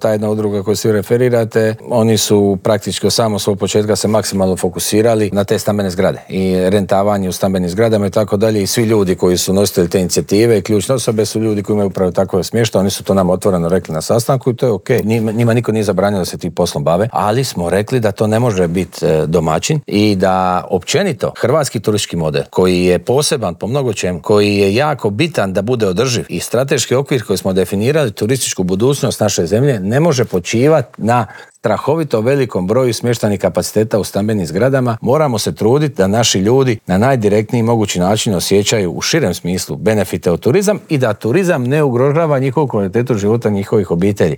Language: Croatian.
Ta jedna udruga koju svi referirate, oni su praktički od samog svog početka se maksimalno fokusirali na te stambene zgrade i rentavanje u stambenim zgradama i tako dalje. I svi ljudi koji su nositelji te inicijative i ključne osobe su ljudi koji imaju upravo takvo smještaj. Oni su to nam otvoreno rekli na sastanku i to je ok. Njima niko nije zabranio da se tim poslom bave, ali smo rekli da to ne može biti domaćin i da općenito hrvatski turistički model koji je poseban po mnogo čemu, koji je jako bitan da bude održiv i strateški okvir koji smo definirali, turističku budućnost naše zemlje, ne može počivati na strahovito velikom broju smještajnih kapaciteta u stambenim zgradama. Moramo se truditi da naši ljudi na najdirektniji mogući način osjećaju u širem smislu benefite od turizam i da turizam ne ugrožava njihovu kvalitetu života njihovih obitelji.